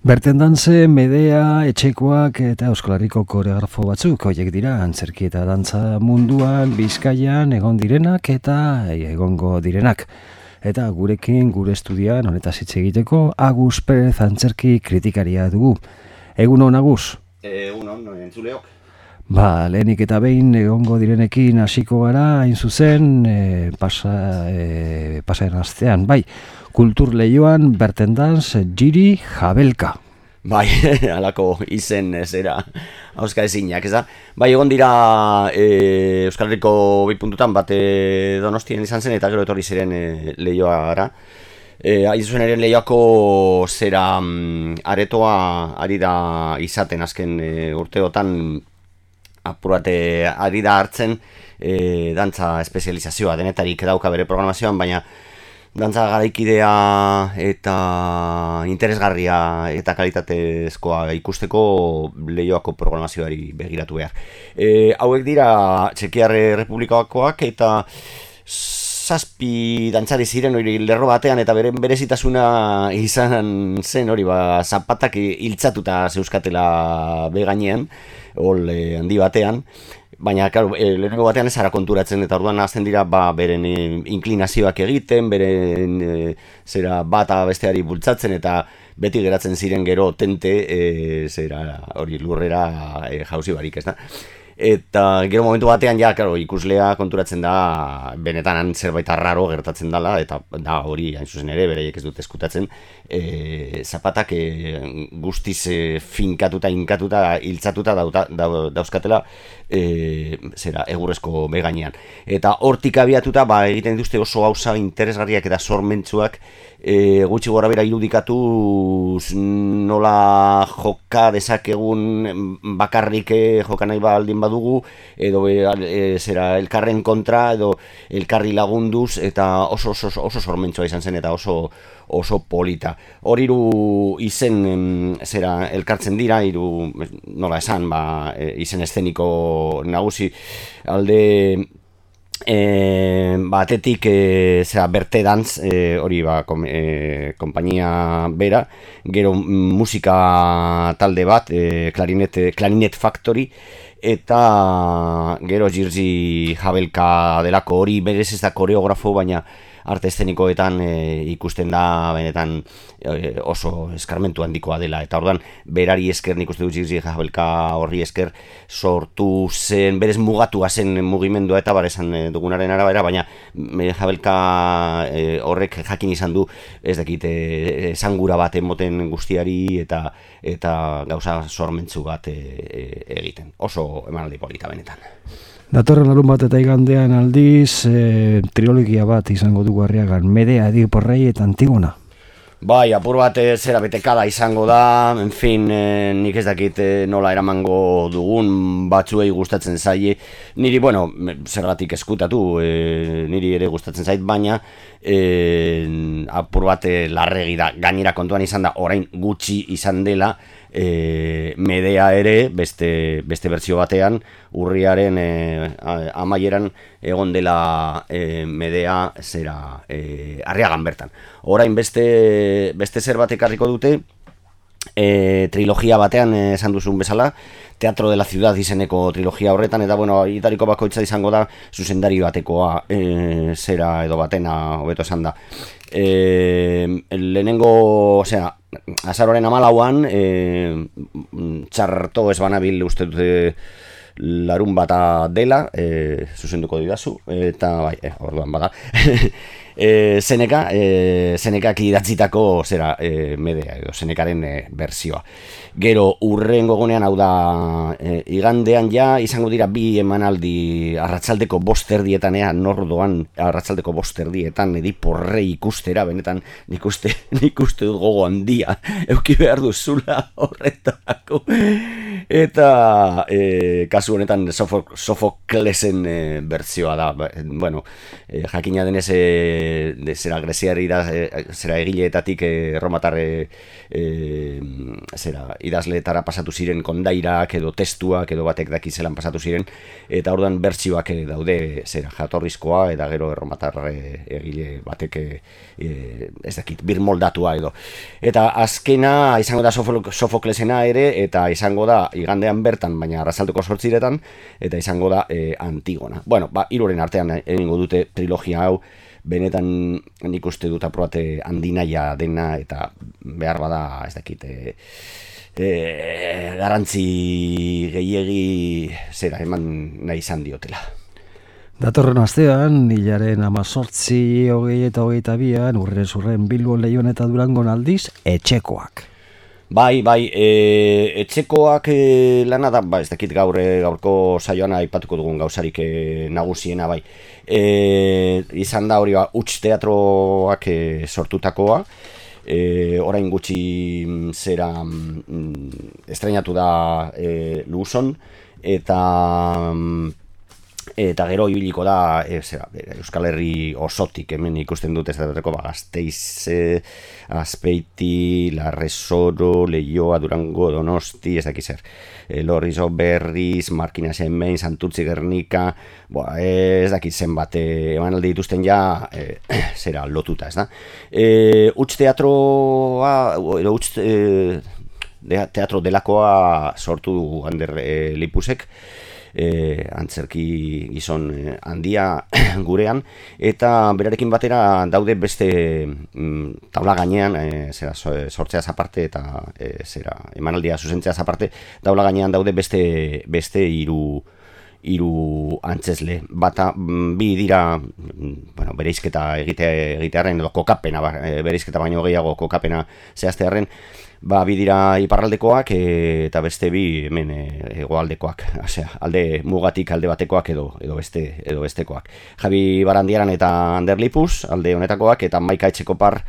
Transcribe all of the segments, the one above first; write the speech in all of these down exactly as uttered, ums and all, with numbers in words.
Bertendanze, Medea, Etxekoak eta Euskal Herriko koreografo batzuk horiek dira antzerki eta dantza munduan, Bizkaian egon direnak eta egongo direnak. Eta gurekin, gure estudian, honetaz hitz egiteko, Agus Perez antzerki kritikaria dugu. Egun hon, Agus? Egun hon, entzuleok. Ba, lehenik eta behin egongo direnekin hasiko gara, hain zuzen, e, pasa, e, pasaren astean, bai, Kultur Leioan Bertendans Giri Jabelka. Bai, halako izen zera hauska ezinak, ez da? Bai, egon dira e, Euskal Herriko bi puntutan bat e, Donostian izan zen eta gero etorri ziren e, leioa gara. E, Aizuzen ere leioako zera mm, aretoa ari da izaten azken e, urteotan apurate ari da hartzen e, dantza espezializazioa denetarik dauka bere programazioan, baina dantza garaikidea eta interesgarria eta kalitatezkoa ikusteko leioako programazioari begiratu behar. E, hauek dira Txekiar Errepublikakoak eta zazpi dantzari ziren hori lerro batean eta beren berezitasuna izan zen hori ba zapatak hiltzatuta zeuzkatela begainean, hol e, handi batean. Baina, claro, e, lehenengo batean ez ara konturatzen eta orduan hasten dira ba, beren e, inklinazioak egiten, beren e, zera bata besteari bultzatzen eta beti geratzen ziren gero tente e, zera hori lurrera e, jauzi barik, ez da? Eta gero momentu batean ja, claro, ikuslea konturatzen da benetan zerbait arraro gertatzen dela eta da hori hain zuzen ere bereiek ez dut eskutatzen e, zapatak e, guztiz e, finkatuta, inkatuta, hiltzatuta dauta, da, dauzkatela e, zera egurrezko begainean. Eta hortik abiatuta ba, egiten dituzte oso gauza interesgarriak eta sormentsuak e, gutxi gora bera irudikatu nola joka dezakegun bakarrik e, joka nahi baldin badugu edo e, e, zera elkarren kontra edo elkarri lagunduz eta oso oso, oso sormentsua izan zen eta oso oso polita. Hor hiru izen em, zera elkartzen dira, hiru nola esan, ba, e, izen eszeniko nagusi alde E, batetik e, zera Bertendans e, hori ba kom, e, konpainia bera, gero musika talde bat e, Clarinet, Clarinet Factory eta gero Giri Jabelka delako hori berez ez da koreografo baina arte eszenikoetan e, ikusten da benetan e, oso eskarmentu handikoa dela eta orduan berari esker nik uste dut Giri Jabelka horri esker sortu zen, berez mugatua zen mugimendua eta baresan dugunaren arabera, baina Jabelka e, horrek jakin izan du ez dakit esangura bat emoten guztiari eta eta gauza sormentzu bat e, e, egiten. Oso emanaldi polita benetan. Datorren larun bat eta igandean aldiz, e, trilogia bat izango dugu Arriagan, Medea, Ediporrei eta Antigona. Bai, apur bat zera betekada izango da, en fin, e, nik ez dakit e, nola eramango dugun batzuei gustatzen zaie. Niri, bueno, zergatik eskutatu, e, niri ere gustatzen zait, baina e, apur bat e, larregi da, gainera kontuan izan da, orain gutxi izan dela, E, Medea ere beste, beste bertsio batean urriaren e, amaieran egon dela e, Medea zera e, Arriagan bertan. Orain beste, beste zer bat ekarriko dute e, trilogia batean esan duzun bezala, Teatro de la Ciudad izeneko trilogia horretan eta bueno, itariko bakoitza izango da zuzendari batekoa e, zera edo batena hobeto esan da. E, lehenengo, osea, azaroaren hamalauan e, txarto ez banabil uste dute larun bata dela, e, zuzenduko didazu, eta bai, e, orduan bada. e, Zeneka, e, Zenekak idatzitako zera e, Medea edo Zenekaren e, bersioa. Gero urrengo egunean hau da e, igandean ja izango dira bi emanaldi arratsaldeko bost erdietan ea nordoan arratsaldeko bost erdietan Ediporrei ikustera benetan nik uste nik uste dut gogo handia euki behar duzula horretarako eta e, kasu honetan Sofoklesen e, bertsioa da. Bueno, e, jakina denez e, de, zera greziari da e, zera egileetatik e, romatar e, e, zera, idazleetara pasatu ziren kondairak edo testuak edo batek daki zelan pasatu ziren, eta orduan bertsioak daude zera jatorrizkoa eta gero erromatar egile batek e, ez dakit, birmoldatua edo. Eta azkena izango da Sofoklesena ere, eta izango da igandean bertan, baina arrasalduko sortziretan, eta izango da e, Antigona. Bueno, ba, hiruren artean egingo dute trilogia hau, benetan nik uste dut aprobate handinaia dena, eta behar bada, ez dakit, e, e, garantzi gehiegi zera eman nahi izan diotela. Datorren astean, hilaren amazortzi, hogei eta hogeita bian, urren zurren Bilbon, Leioan eta Durangon aldiz, etxekoak. Bai, bai, e, etxekoak e, lana da, ba, ez dakit gaur, gaurko saioan aipatuko dugun gauzarik e, nagusiena, bai. E, izan da hori ba, huts teatroak e, sortutakoa, e, orain gutxi zera mm, estrenatu da e, Luzon, eta... eta gero ibiliko da e, zera, Euskal Herri osotik hemen ikusten dut ez da ba, Gasteiz, e, Azpeiti, Larresoro, Leioa, Durango, Donosti, ez dakiz zer, e, Lorrizo, Berriz, Markinas hemen, Santurtzi, Gernika, boa, ez dakiz zen bat eman alde dituzten ja e, zera lotuta, ez da. E, Huts teatroa, edo huts e, teatro delakoa sortu du Ander e, Lipusek, E, antzerki gizon e, handia gurean, eta berarekin batera daude beste mm, taula gainean e, zera, sortzeaz aparte eta e, zera, emanaldia zuzentzeaz aparte, taula gainean daude beste beste hiru hiru antzesle. Bata, bi dira bueno, bereizketa egite, egitearen edo kokapena, bereizketa baino gehiago kokapena zehaztearen, ba, bi dira iparraldekoak e, eta beste bi hemen e, hegoaldekoak, osea, alde mugatik alde batekoak edo edo beste edo bestekoak. Javi Barandiaran eta Ander Lipus alde honetakoak, eta Maika Etxekopar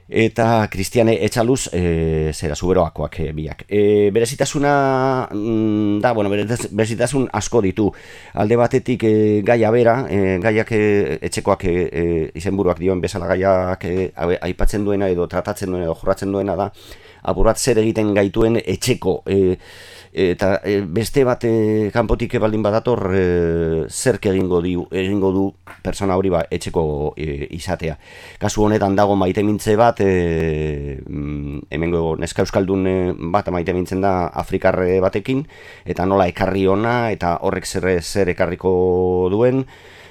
eta Kristiane Etxaluz e, zera Zuberoakoak e, biak. E, berezitasuna mm, da, bueno, berezitasun asko ditu. Alde batetik e, gaia bera, e, gaiak e, etxekoak e, e, izenburuak dioen bezala gaiak e, aipatzen duena edo tratatzen duena edo jorratzen duena da, apurat zer egiten gaituen etxeko e, eta e, beste bat e, kanpotik baldin badator e, zerk egingo, di, egingo du persona hori ba, etxeko e, izatea. Kasu honetan dago maite mintze bat, e, hemengo neska euskaldun bat maite mintzen da afrikarre batekin, eta nola ekarri ona, eta horrek zer, zer ekarriko duen,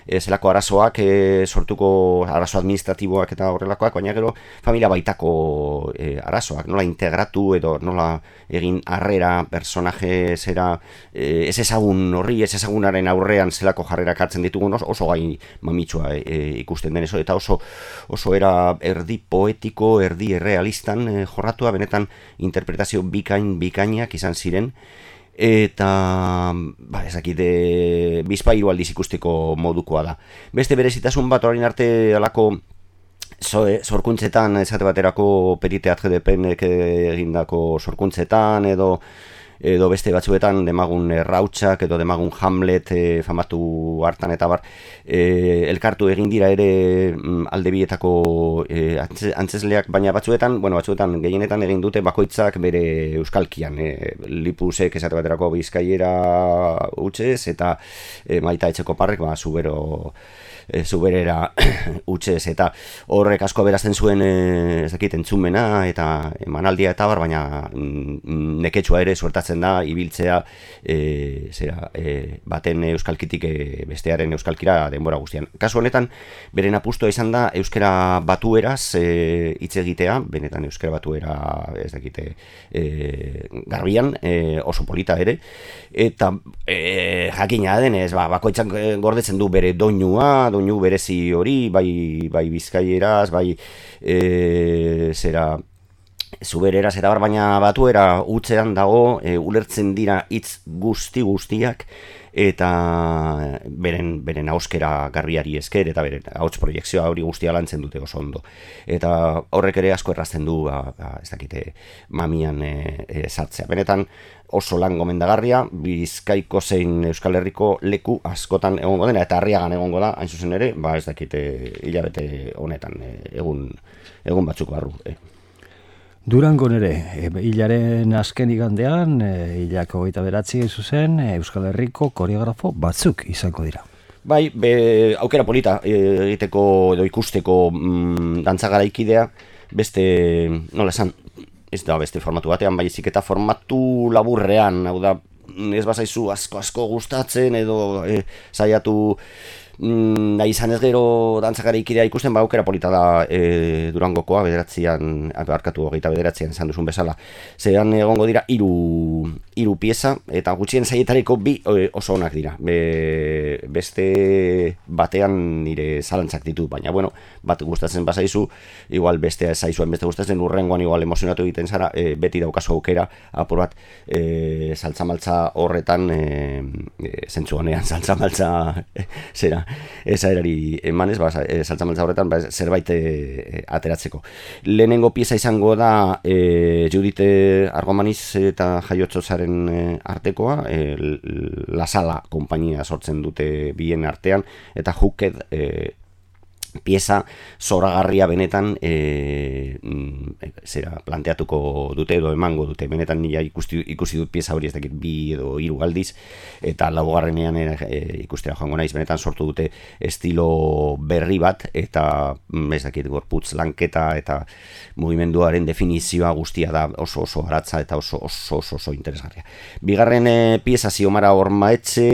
e, zelako arazoak e, sortuko arazo administratiboak eta horrelakoak, baina gero familia baitako e, arazoak, nola integratu edo nola egin harrera personaje zera e, ez ezagun horri, ez ezagunaren aurrean zelako jarrerak hartzen ditugun, oso, oso gai mamitsua e, ikusten den eso, eta oso, oso era erdi poetiko, erdi errealistan e, jorratua, benetan interpretazio bikain bikainak izan ziren, eta ba, ezakite bizpairu aldiz ikusteko modukoa da. Beste berezitasun bat orain arte alako sorkuntzetan, esate baterako Periteatre de Penek egindako sorkuntzetan edo edo beste batzuetan demagun Errautsak edo demagun Hamlet e, famatu hartan eta bar e, elkartu egin dira ere alde bietako e, antzesleak, baina batzuetan, bueno, batzuetan gehienetan egin dute bakoitzak bere euskalkian, e, Lipusek esate baterako Bizkaiera hutsez eta e, Maita Etxekoparrek ba Zubero e, Zuberera hutsez, eta horrek asko berazten zuen e, ez dakit entzumena eta emanaldia eta bar, baina mm, neketsua ere suertatzen da ibiltzea e, zera, e, baten euskalkitik e, bestearen euskalkira denbora guztian. Kasu honetan, beren apustua izan da euskera batueraz e, hitz egitea, benetan euskera batuera ez dakite e, garbian, e, oso polita ere, eta e, jakina denez, ba, bakoitzak gordetzen du bere doinua, doinu berezi hori, bai, bai bizkaieraz, bai e, zera Zubereraz eta bar, baina batuera hutzean dago, e, ulertzen dira hitz guzti guztiak, eta beren beren ahoskera garbiari esker eta beren ahots proiekzioa hori guztia lantzen dute oso ondo. Eta horrek ere asko errazten du, ba, ba, ez dakite, mamian e, e, sartzea. Benetan oso lan gomendagarria, Bizkaiko zein Euskal Herriko leku askotan egongo dena, eta Arriagan egongo da, hain zuzen ere, ba ez dakite hilabete honetan, e, egun, egun batzuk barru. E. Durangon ere, e, hilaren azken igandean, e, hilako hogeita beratzi zuzen, e, Euskal Herriko koreografo batzuk izango dira. Bai, be, aukera polita e, egiteko edo ikusteko mm, dantza garaikidea, beste, nola esan, ez da beste formatu batean, baizik eta formatu laburrean, hau da, ez bazaizu asko-asko gustatzen edo e, saiatu Mm, da izan ez gero dantzakaraikidea ikusten, ba aukera polita da e, Durangokoa, bederatzean, arkatu hogeita bederatzean esan duzun bezala. Zeran egongo dira hiru hiru pieza, eta gutxien saietareko bi e, oso onak dira. Be, beste batean nire zalantzak ditu, baina bueno, bat gustatzen bazaizu, igual bestea ez zaizuen beste gustatzen, urrengoan igual emozionatu egiten zara, e, beti daukazu aukera, apur bat, e, saltzamaltza horretan, e, e, zentzu honean, saltzamaltza e, zera, eza erari emanez, ba, saltzamaltza horretan ba, zerbait e, ateratzeko. Lehenengo pieza izango da e, Judite Argomaniz eta Jaiotzozaren e, artekoa, e, La Sala konpainia sortzen dute bien artean, eta Hooked e, pieza zoragarria benetan e, zera planteatuko dute edo emango dute. Benetan nila ikusi, ikusi dut pieza hori ez dakit bi edo hiru aldiz, eta laugarrenean e, ikustera joango naiz, benetan sortu dute estilo berri bat, eta ez dakit gorputz lanketa eta mugimenduaren definizioa guztia da oso oso aratza eta oso oso oso, oso interesgarria. Bigarren e, pieza Ziomara Ormaetxe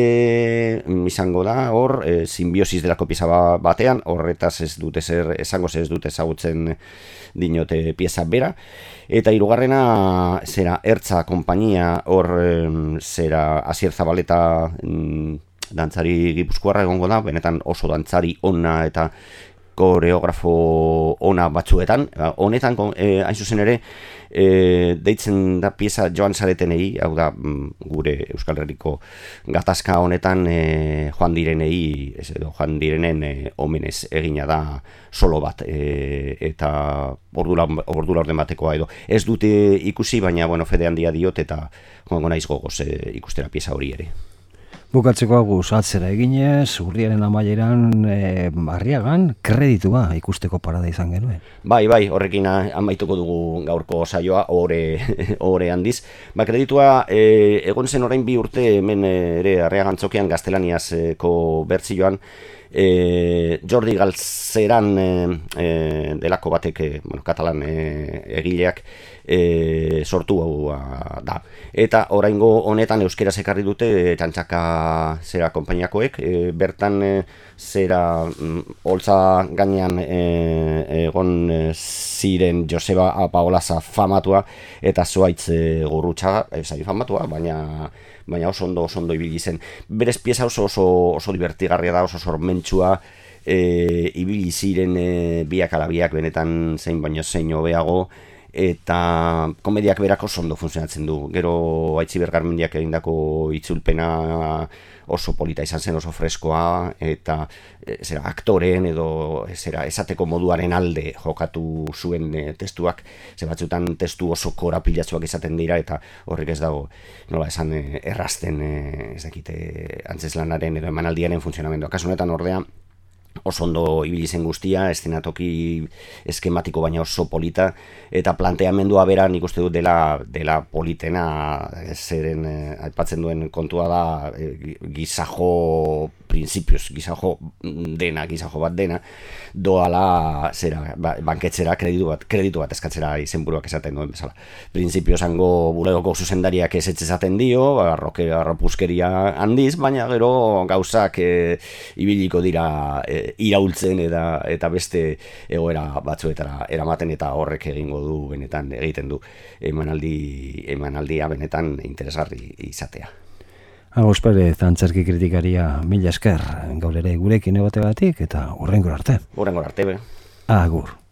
izango da, hor, e, simbiosis delako pieza batean, horretaz ez dute zer esango, ez dute ezagutzen dinote pieza bera, eta hirugarrena zera Ertza konpainia, hor zera Asier Zabaleta mm, dantzari gipuzkoarra egongo da, benetan oso dantzari ona eta koreografo ona batzuetan, honetan eh, hain zuzen ere e, deitzen da pieza joan zaretenei, hau da gure Euskal Herriko gatazka honetan e, joan direnei, ez edo joan direnen e, omenez egina da solo bat, e, eta ordura orden batekoa edo. Ez dute ikusi, baina bueno, fede handia diot eta joango naiz gogoz e, ikustera pieza hori ere. Bukatzeko aguz, atzera eginez, urriaren amaieran e, Arriagan kreditua ikusteko parada izan genuen. Bai, bai, horrekin amaituko dugu gaurko saioa, ore, ore handiz. Ba, kreditua e, egon zen orain bi urte hemen ere Arriagan txokian gaztelaniazko bertsioan, E, Jordi Galzeran e, e, delako batek, e, bueno, katalan e, egileak e, sortu da. Eta oraingo honetan euskeraz ekarri dute e, txantxaka zera konpainiakoek, e, bertan e, zera mm, holtza gainean e, egon e, ziren Joseba Paolaza famatua eta Zuaitz e, Gurrutxaga, e, zai famatua, baina baina oso ondo, oso ondo ibili zen. Berez pieza oso oso, oso divertigarria da, oso sormentsua, e, ibili ziren e, biak ala biak benetan zein baino zein hobeago, eta komediak berako oso ondo funtzionatzen du. Gero Aitziber Garmendiak egindako itzulpena oso polita izan zen, oso freskoa, eta e, zera, aktoreen edo zera, esateko moduaren alde jokatu zuen e, testuak, ze batzutan testu oso korapilatsuak izaten dira, eta horrek ez dago, nola esan, e, errazten e, ez dakite antzeslanaren edo emanaldiaren funtzionamendua. Kasu honetan ordea, oso ondo ibili zen guztia, eszenatoki eskematiko baina oso polita, eta planteamendua bera nik uste dut dela, dela politena, zeren eh, aipatzen duen kontua da eh, gizajo prinsipios, gizajo dena, gizajo bat dena, doala zera, ba, banketzera kreditu bat, kreditu bat eskatzera izenburuak esaten duen bezala. Printzipio zango bulegoko zuzendariak ez etxezaten dio, arroke, arropuzkeria handiz, baina gero gauzak e, ibiliko dira e, iraultzen eta, eta beste egoera batzuetara eramaten, eta horrek egingo du benetan, egiten du emanaldi, emanaldia benetan interesgarri izatea. Agos Perez, antzerki kritikaria, mila esker, gaur ere gurekin egotegatik eta hurrengor arte. Hurrengor arte, be. Agur.